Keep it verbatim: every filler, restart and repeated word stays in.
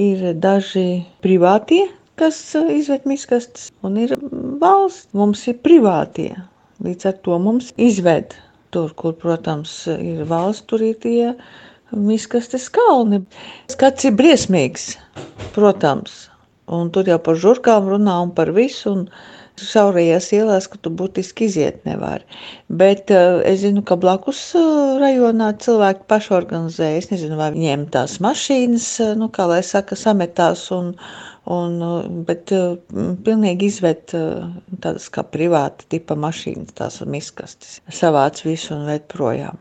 Ir daži privātie, kas izved miskastes, un ir valsts. Mums ir privātie. Līdz ar to mums izved tur, kur, protams, ir valsts, tur ir tie miskastes kalni. Skats ir briesmīgs, protams. Un tur jau par žurkām runā un par visu. Un šaurajās ielās, ka tu būtiski iziet nevari. Bet uh, es zinu, ka blakus uh, rajonā cilvēki paši organizē. Es nezinu, vai viņiem tās mašīnas, uh, nu, kā lai saka, sametās, un, un, uh, bet uh, pilnīgi izved uh, tādas kā privāta tipa mašīnas, tās miskastes. Savāc visu un ved projām.